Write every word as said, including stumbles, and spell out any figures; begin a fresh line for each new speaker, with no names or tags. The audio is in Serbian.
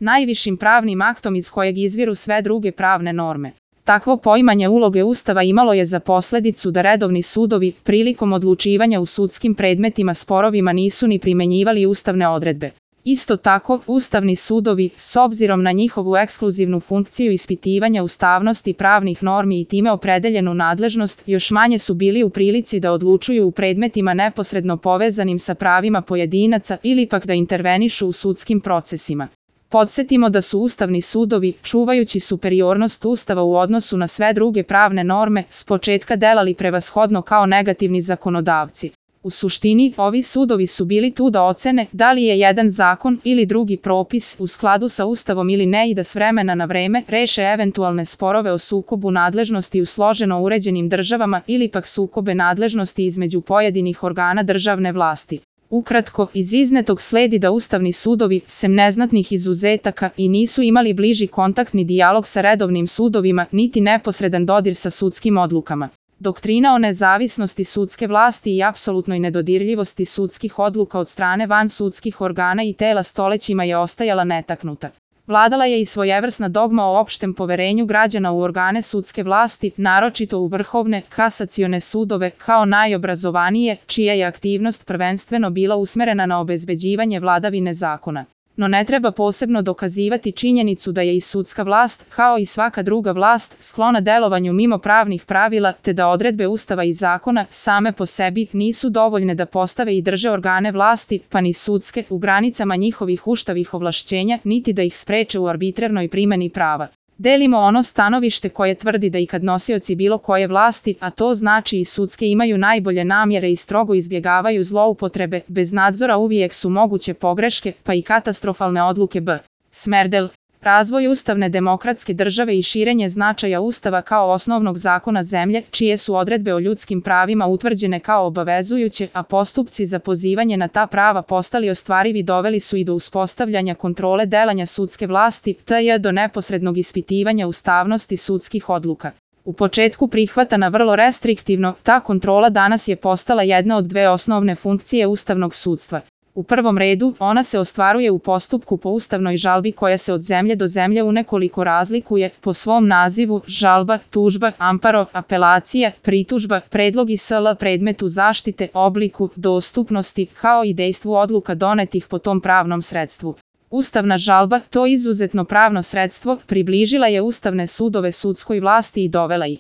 najvišim pravnim aktom iz kojeg izviru sve druge pravne norme. Takvo poimanje uloge Ustava imalo je za posledicu da redovni sudovi, prilikom odlučivanja u sudskim predmetima sporovima nisu ni primenjivali ustavne odredbe. Isto tako, ustavni sudovi, s obzirom na njihovu ekskluzivnu funkciju ispitivanja ustavnosti pravnih normi i time opredeljenu nadležnost, još manje su bili u prilici da odlučuju u predmetima neposredno povezanim sa pravima pojedinaca ili pak da intervenišu u sudskim procesima. Podsjetimo da su ustavni sudovi, čuvajući superiornost Ustava u odnosu na sve druge pravne norme, s početka delali prevashodno kao negativni zakonodavci. U suštini, ovi sudovi su bili tu da ocene da li je jedan zakon ili drugi propis u skladu sa Ustavom ili ne i da s vremena na vreme reše eventualne sporove o sukobu nadležnosti u složeno uređenim državama ili pak sukobe nadležnosti između pojedinih organa državne vlasti. Ukratko, iz iznetog sledi da ustavni sudovi, sem neznatnih izuzetaka, i nisu imali bliži kontaktni dijalog sa redovnim sudovima, niti neposredan dodir sa sudskim odlukama. Doktrina o nezavisnosti sudske vlasti i apsolutnoj nedodirljivosti sudskih odluka od strane vansudskih organa i tela stolećima je ostajala netaknuta. Vladala je i svojevrsna dogma o opštem poverenju građana u organe sudske vlasti, naročito u vrhovne, kasacione sudove, kao najobrazovanije, čija je aktivnost prvenstveno bila usmerena na obezbeđivanje vladavine zakona. No ne treba posebno dokazivati činjenicu da je i sudska vlast, kao i svaka druga vlast, sklona delovanju mimo pravnih pravila, te da odredbe Ustava i zakona, same po sebi, nisu dovoljne da postave i drže organe vlasti, pa ni sudske, u granicama njihovih ustavnih ovlašćenja, niti da ih spreče u arbitrarnoj primeni prava. Delimo ono stanovište koje tvrdi da i kad nosioci bilo koje vlasti, a to znači i sudske, imaju najbolje namjere i strogo izbjegavaju zloupotrebe, bez nadzora uvijek su moguće pogreške, pa i katastrofalne odluke. B. Smerdel. Razvoj ustavne demokratske države i širenje značaja Ustava kao osnovnog zakona zemlje, čije su odredbe o ljudskim pravima utvrđene kao obavezujuće, a postupci za pozivanje na ta prava postali ostvarivi, doveli su i do uspostavljanja kontrole delanja sudske vlasti, te do neposrednog ispitivanja ustavnosti sudskih odluka. U početku prihvatana vrlo restriktivno, ta kontrola danas je postala jedna od dve osnovne funkcije ustavnog sudstva. U prvom redu, ona se ostvaruje u postupku po ustavnoj žalbi koja se od zemlje do zemlje unekoliko razlikuje po svom nazivu: žalba, tužba, amparo, apelacija, pritužba, predlog i sl. Predmetu zaštite, obliku, dostupnosti, kao i dejstvu odluka donetih po tom pravnom sredstvu. Ustavna žalba, to izuzetno pravno sredstvo, približila je ustavne sudove sudskoj vlasti i dovela ih